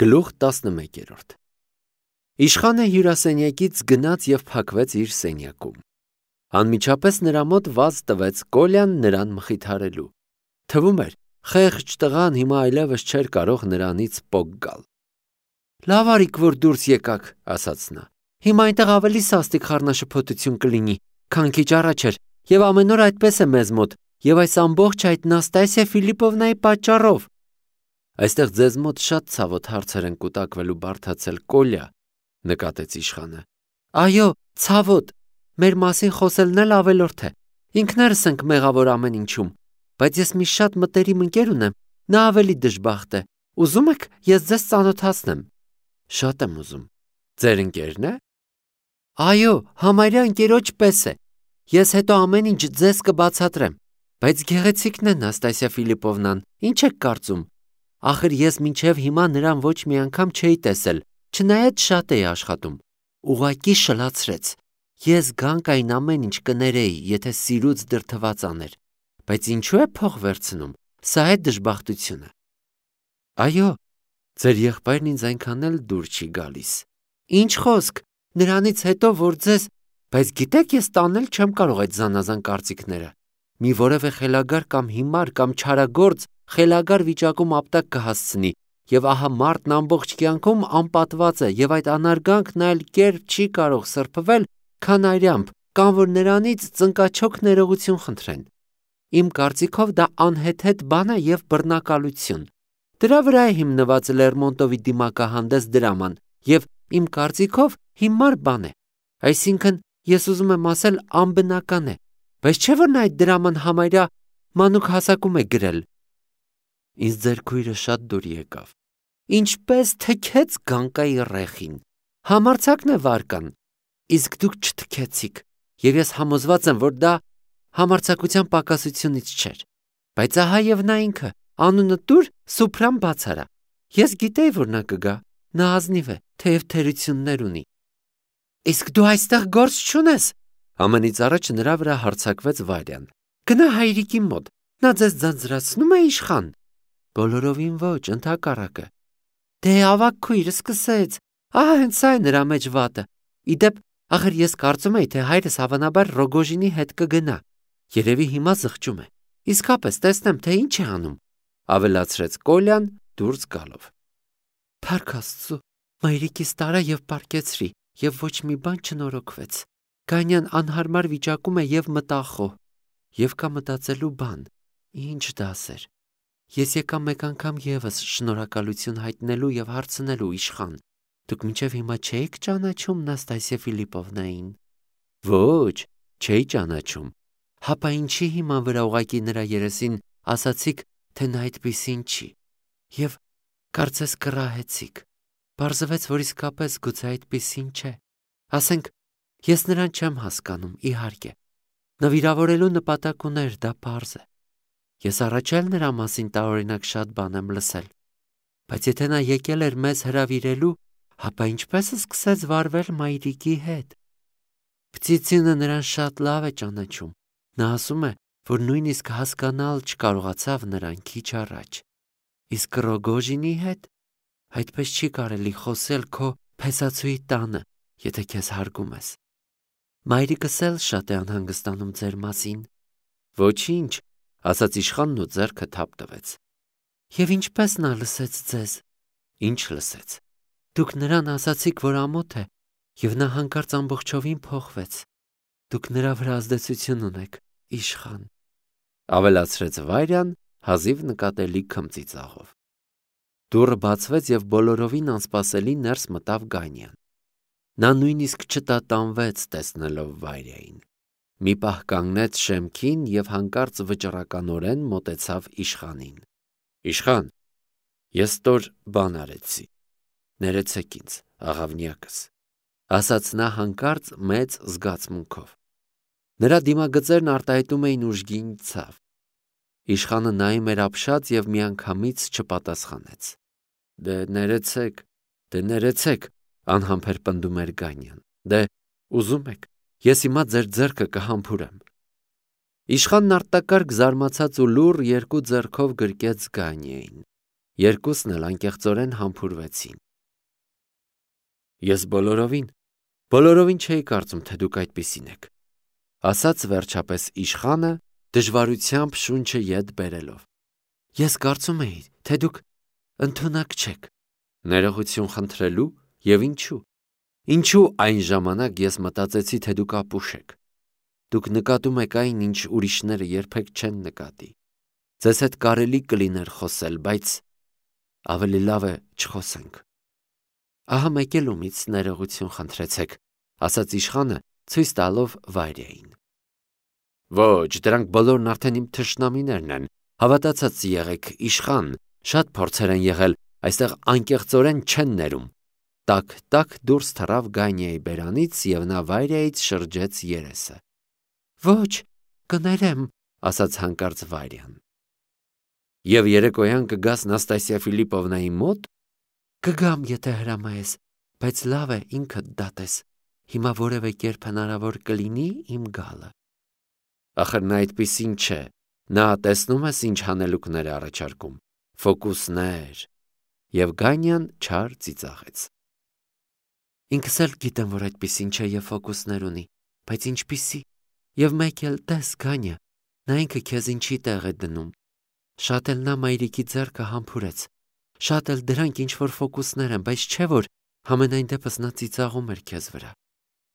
Գլուխ 11 Իշխանը հյուրասենյակից գնաց և փակվեց իր սենյակում։ Անմիջապես նրա մոտ վազ տվեց Կոլյան նրան մխիթարելու։ Թվում էր, խեղճ տղան հիմա այլևս չէր կարող նրանից պոկ գալ։ «Լավ արիք, որ դուրս եկաք», ասաց նա։ «Հիմա այնտեղ ավելի սաստիկ խառնաշփոթություն կլինի, քան քիչ առաջ էր, և ամեն օր այդպես է մեզ մոտ, և այս ամբողջ այդ Նաստասիա Ֆիլիպովնայի պատճառով»։ «Այստեղ ձեզ մոտ շատ ցավոտ հարցեր են կուտակվելու բարդացել, Կոլյա», նկատեց իշխանը։ «Այո, ցավոտ, մեր մասին խոսելն էլ ավելորդ է, ինքներս ենք մեղավոր ամեն ինչում, բայց ես մի շատ մտերիմ ընկեր ունեմ, նա ավելի դժբախտ է, ուզում եք ես ձեզ ծանոթացնեմ»։ «Շատ եմ ուզում։ Ձեր ընկերն է»։ «Այո, համարյա ընկերոջ պես է, ես հետո ամեն ինչ ձեզ կբացատրեմ, բայց գեղեցիկն է Նաստասիա Ֆիլիպովնան, ինչ եք կարծում։ Ախր ես մինչև հիմա նրան ոչ մի անգամ չէի տեսել, չնայած շատ էի աշխատում։ Ուղղակի շլացրեց։ Ես Գանկային ամեն ինչ կներեի, եթե սիրուց դրդված աներ, բայց ինչու է փող վերցնում, սա է դժբախտությունը»։ «Այո, ձեր եղբայրն ինձ այնքան էլ դուր չի գալիս»։ «Ինչ խոսք, նրանից հետո, որ ձեզ… Բայց գիտեք, ես տանել չեմ կարող այդ զանազան կարծիքները։ Մի որևէ խելագար կամ հիմար կամ չարագործ խելագար վիճակում ապտակ կհասցնի, և ահա մարդն ամբողջ կյանքում անպատված է, և այդ անարգանքն այլ կերպ չի կարող սրբվել, քան արյամբ, կամ որ նրանից ծնկաչոք ներողություն խնդրեն։ Իմ կարծիքով դա անհեթեթ բան է և բռնակալություն։ Դրա վրա է հիմնված Լերմոնտովի դիմակահանդես դրաման, և իմ կարծիքով հիմար բան է։ Այսինքն, ես ուզում եմ ասել, անբնական է, բայց չէ՞ որ նա այդ դրաման համարյա մանուկ հասակում է գրել։ Ինձ ձեր քույրը շատ դուր եկավ։ Ինչպես թքեց Գանկայի ռեխին։ Համարձակն է վարկան, իսկ դուք չթքեցիք, և ես համոզված եմ, որ դա համարձակության պակասությունից չէր։ Բայց ահա և նա ինքը, անունը տուր Սուփրան բացարա։ Ես գիտեի, որ նա կգա, նա ազնիվ է, թեև թերություններ ունի։ Իսկ դու այստեղ գործ չունես։ Ամենից առաջ նրա վրա հարձակվեց Վարյան։ Գնա հայրիկի մոտ, նա ձեզ ձանձրացնում է, իշխան։ Բոլորովին ոչ, ընդհակառակը։ Դե ավագ քույրը սկսեց, ահա հենց սա է նրա մեջ վատը։ Իդեպ, ախր ես կարծում էի, թե հայրս հավանաբար Ռոգոժինի հետ կգնա։ Երևի հիմա զղջում է։ Իսկապես տեսնեմ, թե ինչ է անում, ավելացրեց Կոլյան դուրս գալով։ Փառք Աստծո, մայրիկիս տարա և պառկեցրի, և ոչ մի բան չնորոգվեց։ Գանյան անհարմար վիճակում է և մտախոհ, և կա մտածելու բան, ինչ դասեր։ Ես եկա մեկ անգամ ևս շնորհակալություն հայտնելու և հարցնելու, իշխան, դուք մինչև հիմա չէիք ճանաչում Նաստասիա Ֆիլիպովնային։ Ոչ, չէի ճանաչում։ Հապա ինչի հիման վրա ուղղակի նրա երեսին ասացիք, թե նա այդպիսին չի, և կարծես կռահեցիք։ Պարզվեց, որ իսկապես գուցե այդպիսին չէ։ Ասենք, ես նրան չեմ հասկանում, իհարկե։ Նվիրավորելու նպատակ ուներ, դա պարզ է։ Ես առաջ էլ նրա մասին տարօրինակ շատ բան եմ լսել։ Բայց եթե նա եկել էր մեզ հրավիրելու, հապա ինչպես սկսեց վարվել մայրիկի հետ։ Պտիցինը նրան շատ լավ է ճանաչում։ Նա ասում է, որ նույնիսկ հասկանալ չկարողացավ նրան քիչ առաջ։ Իսկ Ռոգոժինի հետ այդպես չի կարելի խոսել քո փեսացուի տանը, եթե քեզ հարգում ես։ Մայրիկս էլ շատ է անհանգստանում ձեր մասին։ Ոչինչ, ասաց իշխանն ու ձեռքը թափ տվեց։ Եվ ինչպես նա լսեց ձեզ։ Ինչ լսեց։ Դուք նրան ասացիք, որ ամոթ է, և նա հանկարծ ամբողջովին փոխվեց։ Դուք նրա վրա ազդեցություն ունեք, իշխան, ավելացրեց Վարյան հազիվ նկատելի քմծիծաղով։ Դուռը բացվեց և բոլորովին անսպասելի ներս մտավ Գանյան։ Նա նույնիսկ չտատանվեց տեսնելով Վարյային։ Մի պահ կանգնեց շեմքին և հանկարծ վճռականորեն մոտեցավ իշխանին։ Իշխան, ես ստոր բան արեցի։ Ներեցեք ինձ, աղավնյակս, ասաց նա հանկարծ մեծ զգացմունքով։ Նրա դիմագծերն արտահայտում էին ուժգին ցավ։ Իշխանը նայում էր ապշած և միանգամից չպատասխանեց։ Դե ներեցեք, անհամբեր պնդում էր Գանյան։ Դե ուզում եք, ես հիմա ձեր ձեռքը կհամբուրեմ։ Իշխանն արտակարգ զարմացած ու լուռ երկու ձեռքով գրկեց Գանյային։ Երկուսն էլ անկեղծորեն համբուրվեցին։ Ես բոլորովին չէի կարծում, թե դուք այդպիսին եք, ասաց վերջապես իշխանը, դժվարությամբ շունչը ետ բերելով։ Ես կարծում էի, թե դուք ընդունակ չեք։ Ներողություն խնդրելու եւ ինչու։ Ինչու այն ժամանակ ես մտածեցի, թե դուք ապուշ եք։ Դուք նկատում եք այն, ինչ ուրիշները երբեք չեն նկատի։ Ձեզ հետ կարելի կլիներ խոսել, բայց ավելի լավ է չխոսենք։ Ահա մեկ էլ ումից ներողություն խնդրեցեք, ասաց իշխանը, ցույց տալով Վայրիային։ Ոչ, դրանք բոլորն արդեն իմ թշնամիներն են, հավատացած եղեք, իշխան, շատ փորձեր են եղել, այստեղ անկեղծորեն չեն ներում։ Տակ դուրս թռավ Գանիայի բերանից եւ նա Վայրիայից շրջեց երեսը։ Ոչ, կներեմ, ասաց հանկարծ Վայրյան։ Եվ երեկոյան կգաս Նաստասիա Ֆիլիպովնայի մոտ։ Կգամ, եթե հրամայես, բայց լավ է ինքդ դատես։ Հիմա որևէ կերպ հնարավոր կլինի իմ գալը։ Ախր նա այդպիսին չէ։ Նա տեսնում ես ինչ հանելուկներ է առաջարկում։ Ֆոկուսներ։ Եվ Գանյան չար ծիծաղեց։ Ինքս էլ գիտեմ, որ այդպիսին չէ եւ ֆոկուսներ ունի, բայց ինչպիսի։ Եվ մեկ էլ տես, Գանյա, նա ինքը քեզ ինչի տեղ է դնում։ Շատ էլ նա մայրիկի ձեռքը համբուրեց։ Շատ էլ դրանք ինչ որ ֆոկուսներ են, բայց չէ որ համենայն դեպս նա ծիծաղում էր քեզ վրա։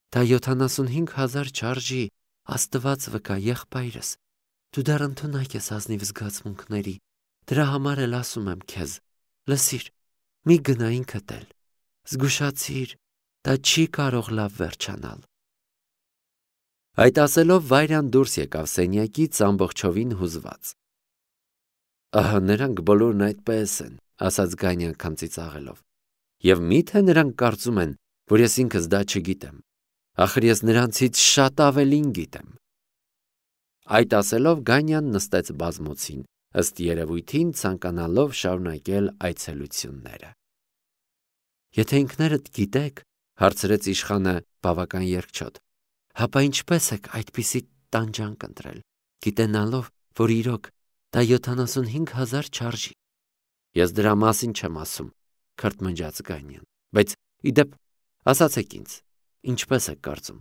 Դա 75,000 չարժի, Աստված վկա, եղբայրս։ Դու դեռ ընդունակ ես ազնիվ զգացմունքների։ Դրա համար էլ ասում եմ քեզ. լսիր, մի գնա ինքդ էլ։ Զգուշացիր, դա չի կարող լավ վերջանալ։ Այդ ասելով Վայրյան դուրս եկավ սենյակից ամբողջովին հուզված։ Ահա նրանք բոլորն այդպես են, ասաց Գանյան քամծիծաղելով։ Եվ միթե նրանք կարծում են, որ ես ինքս դա չգիտեմ։ Ախր ես նրանցից շատ ավելին գիտեմ։ Այդ ասելով Գանյան նստեց բազմոցին, ըստ երևույթին ցանկանալով շարունակել այցելությունները։ Եթե ինքներդ գիտեք, հարցրեց իշխանը բավական երկչոտ, հապա ինչպես եք այդպիսի տանջանք ընտրել, գիտենալով, որ իրոք դա 75,000 չարժի։ Ես դրա մասին չեմ ասում, քրթմնջաց Գանյան, բայց իդեպ ասացեք ինձ, ինչպես եք կարծում։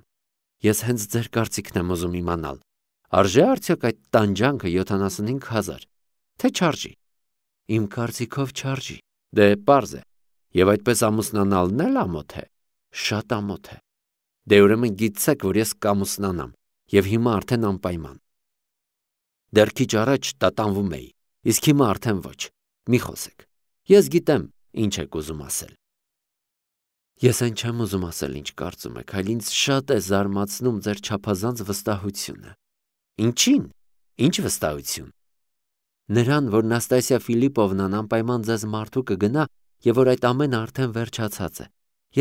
Ես հենց ձեր կարծիքն եմ ուզում իմանալ, արժե արդյոք այդ տանջանքը 75,000, թե չարժի։ Իմ կարծիքով չարժի, դե պարզ է, եւ այդպես ամուսնանալն էլ ամոթ է, շատ ամոթ է։ Դե ուրեմն գիտեք, որ ես կամուսնանամ, եւ հիմա արդեն անպայման։ Դեռ քիչ առաջ տատանվում էի, իսկ հիմա արդեն ոչ, մի խոսեք։ Ես գիտեմ, ինչ եք ուզում ասել։ Ես այն չեմ ուզում ասել, ինչ կարծում եք, այլ ինձ շատ է զարմացնում ձեր չափազանց վստահությունը։ Ինչին։ Ինչ վստահություն։ Նրան, որ Նաստասիա Ֆիլիպովնան անպայման ձեզ մարդու կգնա եւ որ այդ ամենը արդեն վերջացած է։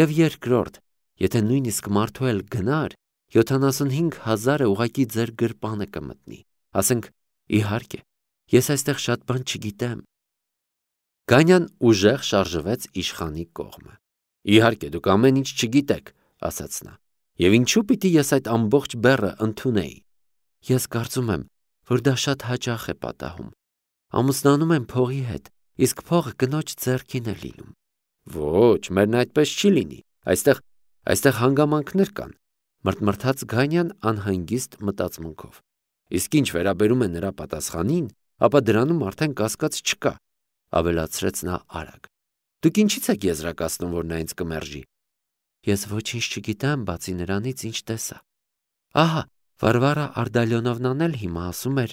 Եվ երկրորդ, եթե նույնիսկ մարդու էլ գնար, 75,000-ը ուղղակի ձեր գրպանը կմտնի։ Ասենք, իհարկե, ես այստեղ շատ բան չգիտեմ։ Գանյան ուժեղ շարժվեց իշխանի կողմը։ Իհարկե, դուք ամեն ինչ չգիտեք, ասաց նա։ Եվ ինչու պիտի ես այդ ամբողջ բեռը ընդունեի։ Ես կարծում եմ, որ դա շատ հաճախ է պատահում։ Ամուսնանում են փողի հետ, իսկ փողը կնոջ ձեռքին է լինում։ Ոչ, մերն այդպես չի լինի։ Այստեղ հանգամանքներ կան, մրթմրթաց Գանյան անհանգիստ մտածմունքով։ Իսկ ինչ վերաբերում է նրա պատասխանին, ապա դրանում արդեն կասկած չկա, ավելացրեց նա արագ։ Դուք ինչի՞ց եք եզրակացնում, որ նա ինձ կմերժի։ Ես ոչինչ չգիտեմ, բացի նրանից, ինչ տեսա։ Ահա, Վարվարա Արդալյոնովնան էլ հիմա ասում էր.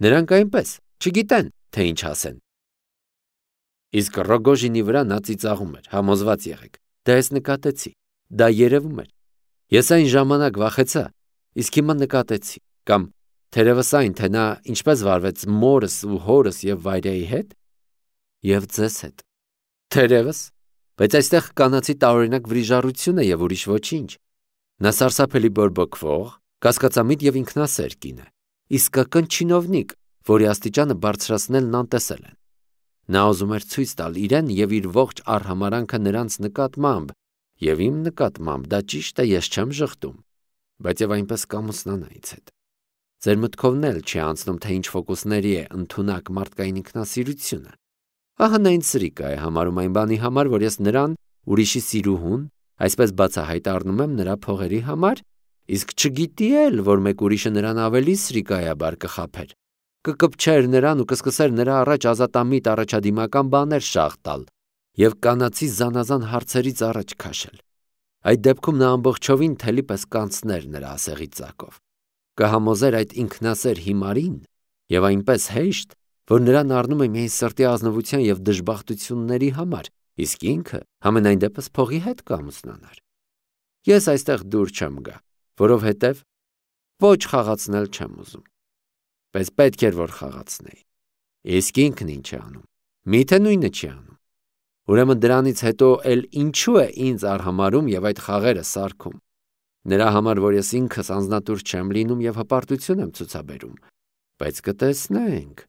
նրանք այնպես չգիտեն, թե ինչ ասեն։ Իսկ Ռոգոժինի վրա նա ծիծաղում էր, համոզված եղեք։ Դա ես նկատեցի, դա երևում էր։ Ես այն ժամանակ վախեցա, իսկ հիմա նկատեցի, կամ թերևս այն, թե նա ինչպես վարվեց մորս ու հորս եւ Վայրիայի հետ, եւ ձեզ հետ։ Թերևս, բայց այստեղ կանացի տարօրինակ վրիժառություն է եւ ուրիշ ոչինչ։ Նա սարսափելի բորբոքվող, կասկածամիտ եւ ինքնասեր կին է, իսկական չինովնիկ, որի աստիճանը բարձրացնելն անտեսել են։ Նա ուզում էր ցույց տալ իրեն եւ իր ողջ արհամարանքը նրանց նկատմամբ, եւ իմ նկատմամբ դա ճիշտ է, ես չեմ ժխտում, բայց եւ այնպես կամուսնանա ինձ հետ։ Ձեր մտքովն էլ չի անցնում, թե ինչ ֆոկուսների է ընդունակ մարդկային ինքնասիրությունը։ Ահա նա ինձ սրիկա է համարում այն բանի համար, որ ես նրան ուրիշի սիրուհուն, այսպես բացահայտ առնում եմ նրա փողերի համար, իսկ չգիտի էլ, որ մեկ ուրիշը նրան ավելի սրիկայաբար կխաբեր, կկպչեր նրան ու կսկսեր նրա առաջ ազատամիտ առաջադիմական բաներ շաղ տալ և կանացի զանազան հարցերից առաջ քաշել։ Այդ դեպքում նա ամբողջովին թելի պես կանցներ նրա ասեղի ծակով, կհամոզեր այդ ինքնասեր հիմարին և այնպես հեշտ, որ նրան առնում է միայն սրտի ազնվության և դժբախտությունների համար, իսկ ինքը համենայն դեպս փողի հետ կամուսնանար։ Ես այստեղ դուր չեմ գա, որովհետև ոչ խաղացնել չեմ ուզում, բայց պետք էր, որ խաղացնեի։ Իսկ ինքն ինչ է անում, միթե նույնը չի անում։ Ուրեմն դրանից հետո էլ ինչու է ինձ արհամարհում և այդ խաղերը սարքում։ Նրա համար, որ ես ինքս անձնատուր չեմ լինում և հպարտություն եմ ցուցաբերում, բայց կտեսնենք։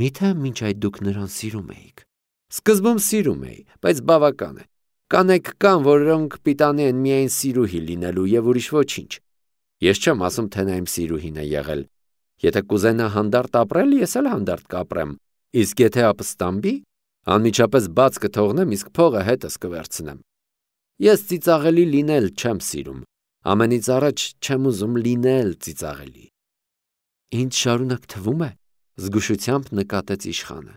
Միթե մինչ այդ դուք նրան սիրում էիք։ Սկզբում սիրում էի, բայց բավական է։ Կանայք կան, որոնք պիտանի են միայն սիրուհի լինելու և ուրիշ ոչինչ։ Ես չեմ ասում, թե նա իմ սիրուհին է եղել։ Եթե կուզենա հանդարտ ապրել, ես էլ հանդարտ կապրեմ, իսկ եթե ապստամբի, անմիջապես բաց կթողնեմ, իսկ փողը հետս կվերցնեմ։ Ես ծիծաղելի լինել չեմ սիրում, ամենից առաջ չեմ ուզում լինել ծիծաղելի։ Ինձ շարունակ թվում է, զգուշությամբ նկատեց իշխանը,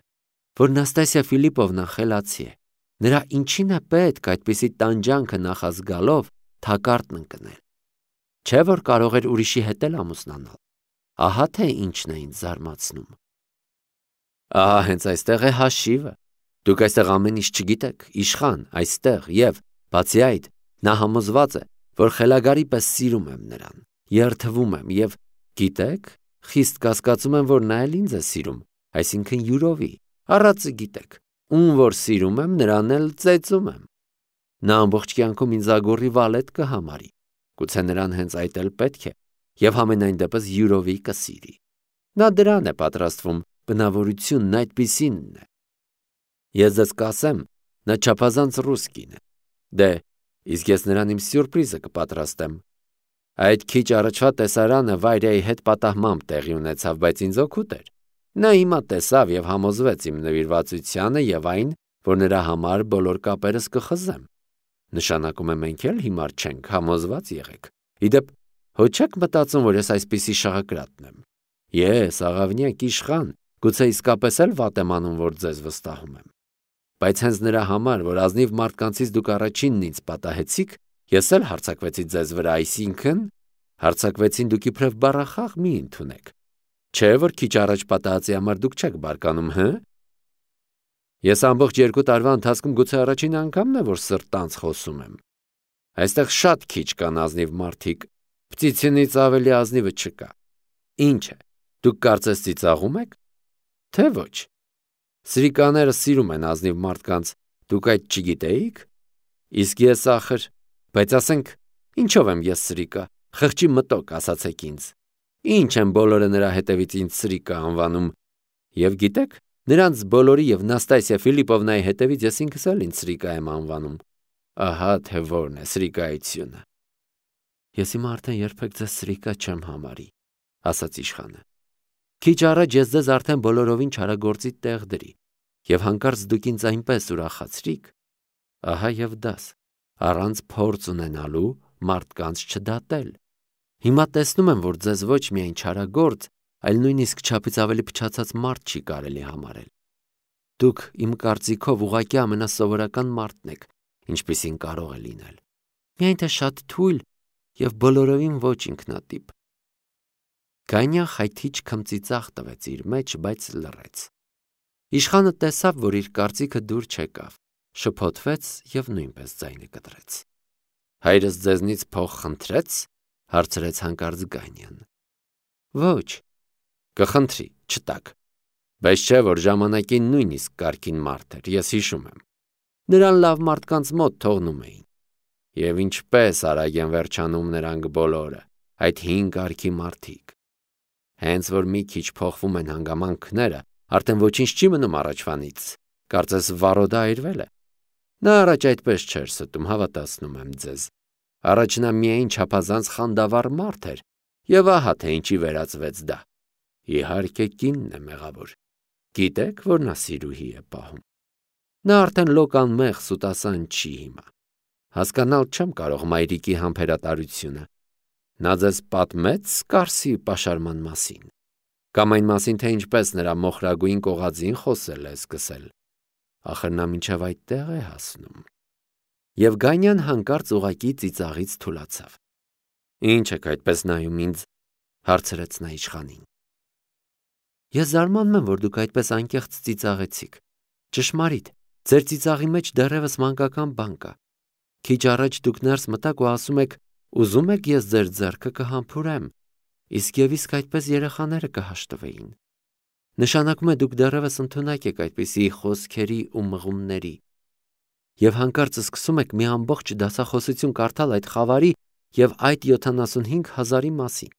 որ Նաստասիա Ֆիլիպովնան խելացի է։ Նրա ինչին է պետք այդպիսի տանջանքը նախազգալով թակարդն ընկնել։ Չէ՞ որ կարող էր ուրիշի հետ էլ ամուսնանալ։ Ահա թե ինչն է ինձ զարմացնում։ Ահա հենց այստեղ է հաշիվը։ Դուք այստեղ ամեն ինչ չգիտեք, իշխան, այստեղ և, բացի այդ, նա համոզված է, որ խելագարի պես սիրում եմ նրան, երդվում եմ և, գիտեք, խիստ կասկածում եմ, որ նա էլ ինձ է սիրում, այսինքն յուրովի, առածը գիտեք, ում որ սիրում եմ, նրան էլ ծեծում եմ։ Նա ամբողջ կյանքում ինձ ագոռի վալետ կհամարի, գուցե նրան հենց այդ էլ պետք է, և համենայն դեպս յուրովի կսիրի։ Նա դրան է պատրաստվում, բնավորությունն այդպիսինն է։ Ես ձեզ կասեմ, նա չափազանց ռուսկին է։ Դե, իսկ ես նրան իմ սյուրպրիզը կպատրաստեմ։ Այդ քիչ առաջվա տեսարանը Վայրիայի հետ պատահմամբ տեղի ունեցավ, բայց ինձ օգուտ էր։ Նա հիմա տեսավ և համոզվեց իմ նվիրվածությանը և այն, որ նրա համար բոլոր կապերս կխզեմ։ Նշանակում է մենք էլ հիմար չենք, համոզված եղեք։ Իդեպ, հո չեք մտածում, որ ես այսպիսի շաղակրատն եմ։ Ես, աղավնյակ իշխան, գուցե իսկապես էլ վատ եմ անում, որ ձեզ վստահում եմ։ Բայց հենց նրա համար, որ ազնիվ մարդկանցից դուք առաջինն ինձ պատահեցիք, ես էլ հարձակվեցի ձեզ վրա, այսինքն հարձակվեցին դուք իբրև բառախաղ մի ընդունեք։ Չէ՞ որ քիչ առաջ պատահածի համար դուք չեք բարկանում, հը։ Ես ամբողջ 2 տարվա ընթացքում գուցե առաջին անգամն է, որ սրտանց խոսում եմ։ Այստեղ շատ քիչ կան ազնիվ մարդիկ, Պտիցինից ավելի ազնիվը չկա։ Ինչ է, դուք կարծես ծիծաղում եք, թե ոչ։ Սրիկաները սիրում են ազնիվ մարդկանց, դուք այդ չգիտեիք։ Իսկ ես ախր, բայց ասենք, ինչով եմ ես սրիկա, խղճի մտոք ասացեք ինձ։ Ինչ են բոլորը նրա հետևից ինձ սրիկա անվանում։ Եվ գիտեք, նրանց բոլորի և Նաստասիա Ֆիլիպովնայի հետևից ես ինքս էլ ինձ սրիկա եմ անվանում։ Ահա թե որն է սրիկայությունը։ Ես հիմա արդեն երբեք ձեզ սրիկա չեմ համարի, ասաց իշխանը։ Քիչ առաջ ես ձեզ արդեն բոլորովին չարագործի տեղ դրի, և հանկարծ դուք ինձ այնպես ուրախացրիք։ Ահա և դաս, առանց փորձ ունենալու մարդկանց չդատել։ Հիմա տեսնում եմ, որ ձեզ ոչ միայն չարագործ, այլ նույնիսկ չափից ավելի փչացած մարդ չի կարելի համարել։ Դուք իմ կարծիքով ուղղակի ամենասովորական մարդն եք, ինչպիսին կարող է լինել։ Միայն թե շատ թույլ և բոլորովին ոչ ինքնատիպ։ Գանյան խայթիչ քմծիծաղ տվեց իր մեջ, բայց լռեց։ Իշխանը տեսավ, որ իր կարծիքը դուր չեկավ, շփոթվեց և նույնպես ձայնը կտրեց։ Հայրս ձեզնից փող խնդրեց, հարցրեց հանկարծ Գանյան։ Ոչ, կխնդրի, չտաք, բայց չէ, որ ժամանակին նույնիսկ կարգին մարդ էր, ես հիշում եմ։ Նրան լավ մարդկանց մոտ թողնում էին։ Եվ ինչպես արագ են վերջանում նրանք բոլորը, այդ հին կարգի մարդիկ։ Հենց որ մի քիչ փոխվում են հանգամանքները, արդեն ոչինչ չի մնում առաջվանից, կարծես վառոդը այրվել է։ Նա առաջ այդպես չէր ստում, հավատացնում եմ ձեզ։ Առաջ նա միայն չափազանց խանդավառ մարդ էր, Եվ ահա թե ինչի վերածվեց դա։ Իհարկե կինն է մեղավոր։ Գիտեք, որ նա սիրուհի է պահում։ Նա արդեն լոկանմեղ սուտասան չի հիմա։ Հասկանալ չեմ կարող մայրիկի համբերատարությունը։ Նա ձեզ պատմեց Կարսի պաշարման մասին, կամ այն մասին, թե ինչպես նրա մոխրագույն կողածին խոսել է սկսել։ Ախր նա մինչև այդտեղ է հասնում։ Եվ Գանյան հանկարծ ուղակի ծիծաղից թուլացավ։ Ինչ եք այդպես նայում ինձ, հարցրեց նա իշխանին։ Ես զարմանում եմ, որ դուք այդպես անկեղծ ծիծաղեցիք։ Ճշմարիտ, ձեր ծիծաղի մեջ դեռևս մանկական բան կա։ Քիչ առաջ դուք ներս մտաք ու ասում եք, ուզում եք ես ձեր ձեռքը կհամբուրեմ, իսկ եւ իսկ այդպես երեխաները կհաշտվեին։ Նշանակում է դուք դեռևս ընդունակ եք այդպիսի խոսքերի ու մղումների։ Եվ հանկարծ սկսում եք մի ամբողջ դասախոսություն կարդալ այդ խավարի եւ այդ 75,000-ի մասին։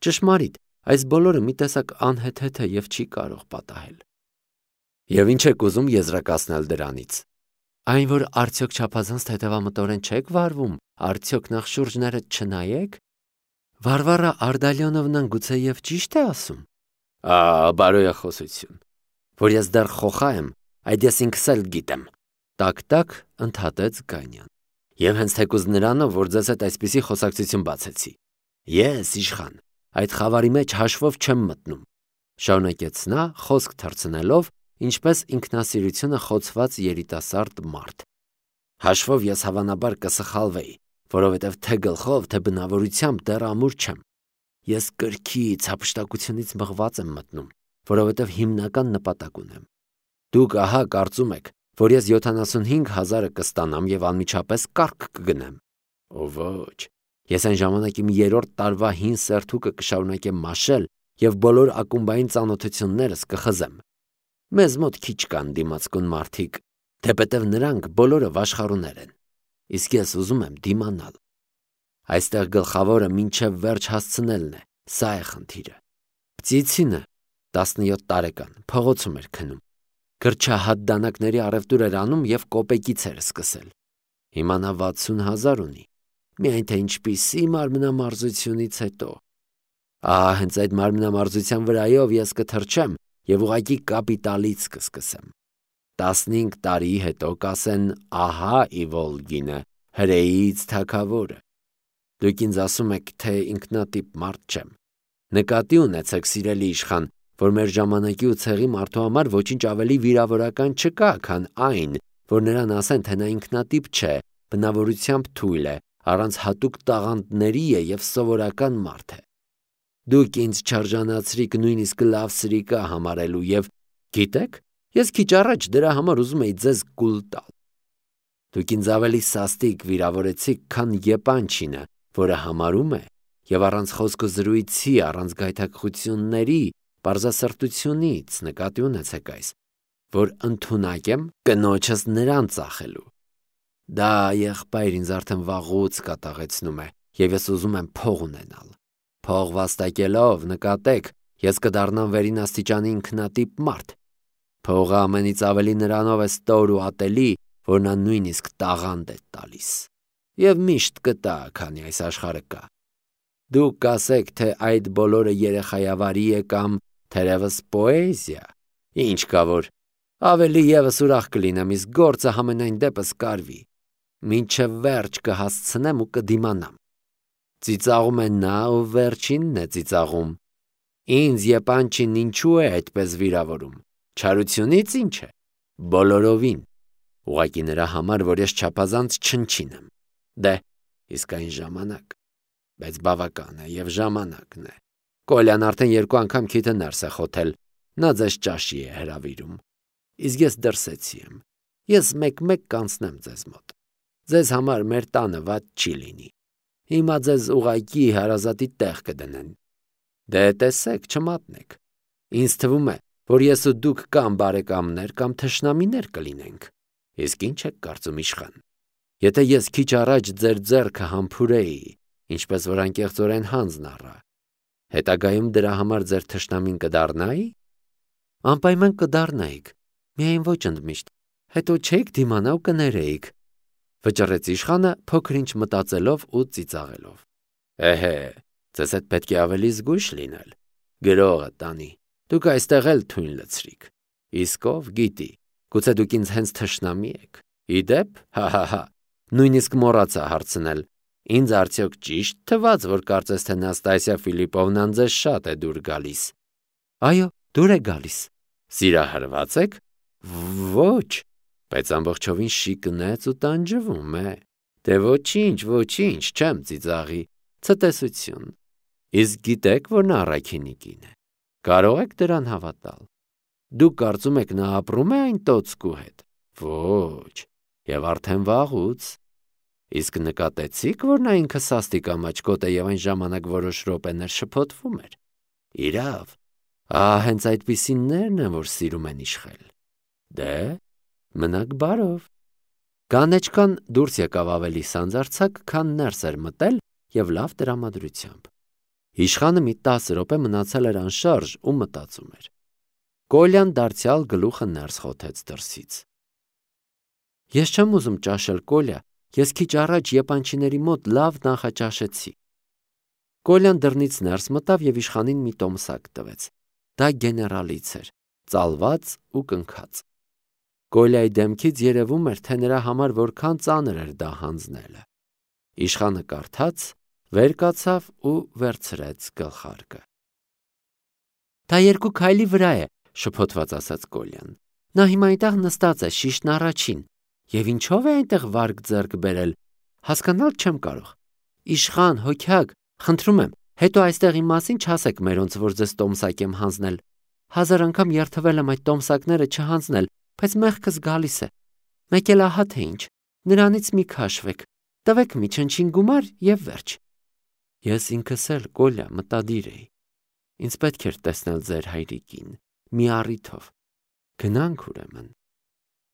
Ճշմարիտ, այս բոլորը մի տեսակ անհեթեթ է եւ չի կարող պատահել։ Եվ ինչ եք ուզում եզրակացնել դրանից։ Այն, որ արդյոք չափազանց թեթևամտորեն չեք վարվում, արդյոք նախ շուրջներդ չնայեք։ Վարվարա Արդալյոնովնան գուցեև ճիշտ է ասում։ Բարոյախոսություն։ Որ ես դեռ խոխա եմ, այդ ես ինքս էլ գիտեմ։ Տակ-տակ ընդհատեց Գանյան։ Եվ հենց թեկուզ նրանով, որ ձեզ հետ այսպիսի խոսակցություն բացեցի։ Ես, իշխան, այդ խավարի մեջ հաշվով չեմ մտնում։ Շարունակեց նա, խոսք թռցնելով, ինչպես ինքնասիրությունը խոցված երիտասարդ մարդ։ Հաշվով ես հավանաբար կսխալվեի, որովհետև թե գլխով, թե բնավորությամբ դեռ ամուր չեմ։ Ես կրքից, հափշտակությունից մղված եմ մտնում, որովհետև հիմնական նպատակ ունեմ։ Դուք ահա կարծում եք, որ ես 75,000-ը կստանամ եւ անմիջապես կառք կգնեմ։ Ո ոչ, ես այն ժամանակ իմ 3-րդ տարվա հին սերթուկը կշարունակեմ մաշել եւ բոլոր ակումբային ծանոթություններս կխզեմ։ Մեզ մոտ քիչ կան դիմացկուն մարդիկ, թեպետև նրանք բոլորը վաշխառուներ են։ Իսկ ես ուզում եմ դիմանալ։ Այստեղ գլխավորը մինչև վերջ հասցնելն է, սա է խնդիրը։ Պծիցինը 17 տարեկան փողոցում էր քնում։ Գրչահատ դանակների առևտուր էր անում եւ կոպեկից էր սկսել։ Հիմա նա 60,000 ունի։ Միայն թե ինչպիսի մարմնամարզությունից հետո։ Հենց այդ մարմնամարզության վրայով ես կթռչեմ եւ ուղղակի կապիտալից կսկսեմ։ 15 տարի հետո կասեն, ահա Իվոլգինը, հրեից թագավորը։ Դուք ինձ ասում եք, թե ինքնատիպ մարդ չեմ։ Նկատի ունեցեք, սիրելի իշխան, որ մեր ժամանակի ու ցեղի մարդու համար ոչինչ ավելի վիրավորական չկա, քան այն, որ նրան ասեն, թե նա ինքնատիպ չէ, բնավորությամբ թույլ է, առանց հատուկ տաղանդների է եւ սովորական մարդ է։ Դուք ինձ չարժանացրիք նույնիսկ լավ սրիկա համարելու եւ գիտեք, ես քիչ առաջ դրա համար ուզում էի ձեզ կուլ տալ։ Դուք ինձ ավելի սաստիկ վիրավորեցիք, քան Եպանչինը, որը համարում է եւ առանց խոսքը զրույցի, առանց գայթակղությունների, պարզասրտությունից նկատի ունեցեք այս, որ ընդունակ եմ կնոջս նրան ծախելու։ Դա եղբայր ինձ արդեն վաղուց կատաղեցնում է եւ ես ուզում եմ փող ունենալ։ Փող վաստակելով, նկատեք, ես կդառնամ վերին աստիճանի ինքնատիպ մարդ։ Փողը ամենից ավելի նրանով է ստոր ու ատելի, որ նա նույնիսկ տաղանդ է տալիս։ Եվ միշտ կտա, քանի այս աշխարհը կա։ Դուք կասեք, թե այդ բոլորը երեխայավարի է կամ թերևս պոեզիա։ Ինչ կա որ, ավելի եւս ուրախ կլինեմ, իսկ գործը համենայն դեպս կարվի։ Մինչև վերջ կհասցնեմ ու կդիմանամ։ Ծիծաղում է նա ու վերջինն է ծիծաղում։ Ինձ Եպանչին ինչու է այդպես վիրավորում։ Չարությունից ինչ է։ Բոլորովին։ Ուղղակի նրա համար, որ ես չափազանց չնչին եմ։ Դե, իսկ այն ժամանակ։ Բայց բավական է եւ ժամանակն է։ Կոլյան արդեն 2 անգամ քիթը ներս է խոթել։ Նա ձեզ ճաշի է հրավիրում։ Իսկ ես դրսեցի եմ։ Ես մեկ-մեկ կանցնեմ ձեզ մոտ։ Ձեզ համար մեր տանը վատ չի լինի։ Հիմա ձեզ ուղակի հարազատի տեղ կդնեն։ Դե տեսեք, չմատնեք։ Ինձ թվում է, որ ես ու դուք կամ բարեկամներ կամ թշնամիներ կլինենք։ Իսկ ինչ եք կարծում իշխան։ Եթե ես քիչ առաջ ձեր ձեռքը համբուրեի, ինչպես որ անկեղծորեն հանձն առա, հետագայում դրա համար ձեր թշնամին կդառնայի։ Անպայման կդառնայիք, միայն ոչ ընդմիշտ, հետո չեք դիմանա ու կներեիք, վճռեց իշխանը փոքր ինչ մտածելով ու ծիծաղելով։ Ձեզ հետ պետք է ավելի զգույշ լինել։ Գրողը տանի, դուք այստեղ էլ թույն լցրիք։ Իսկ ով գիտի, գուցե դուք ինձ հենց թշնամի եք։ Իդեպ, հա, նույնիսկ մոռացա հարցնել, ինձ արդյոք ճիշտ թվաց, որ կարծես թե Նաստասիա Ֆիլիպովնան ձեզ շատ է դուր գալիս։ Այո, դուր է գալիս։ Սիրահարված եք։ Ոչ, բայց ամբողջովին շիկնեց ու տանջվում է։ Դե ոչինչ, չեմ ծիծաղի, ցտեսություն։ Իսկ գիտեք, որ նա առաքինի կին է։ Կարող եք դրան հավատալ։ Դուք կարծում եք նա ապրում է այն տոցկու հետ։ Ոչ, եւ արդեն վաղուց։ Իսկ նկատեցիք, որ նա ինքը սաստիկ ամաչկոտ է եւ այն ժամանակ որոշ րոպեներ շփոթվում էր։ Իրավ, հենց այդպիսիններն են, որ սիրում են իշխել։ Դե, մնաք բարով։ Կանեչկան դուրս եկավ ավելի սանձարձակ, քան ներս էր մտել եւ լավ տրամադրությամբ։ Իշխանը մի 10 րոպե մնացել էր անշարժ ու մտածում էր։ Կոլյան դարձյալ գլուխը ներս խոթեց դրսից։ Ես չեմ ուզում ճաշել, Կոլյա, ես քիչ առաջ եպանչիների մոտ լավ նախաճաշեցի։ Կոլյան դռնից ներս մտավ եւ իշխանին մի տոմսակ տվեց։ Դա գեներալից էր, ծալված ու կնքած։ Կոլյայի դեմքից երևում էր, թե նրա համար որքան ծանր էր դա հանձնելը։ Իշխանը կարդաց, վեր կացավ ու վերցրեց գլխարկը։ Դա 2 քայլի վրա է, շփոթված ասաց Կոլյան։ Նա հիմա այնտեղ նստած է, շիշն առաջին, եւ ինչով է այնտեղ վարկ ձեռք բերել, հասկանալ չեմ կարող։ Իշխան, հոգյակ, խնդրում եմ, հետո այստեղ իմ մասին չասեք մերոնց, որ ձեզ տոմսակ եմ հանձնել։ 1000 անգամ երթվել եմ այդ տոմսակները չհանձնել, բայց մեղքս գալիս է։ Մեկ էլ ահա թե ինչ, նրանից մի քաշվեք, տվեք մի չնչին գումար եւ վերջ։ Ես ինքս էլ, Կոլյա, մտադիր էի։ Ինձ պետք էր տեսնել ձեր հայրիկին, մի առիթով։ Գնանք ուրեմն։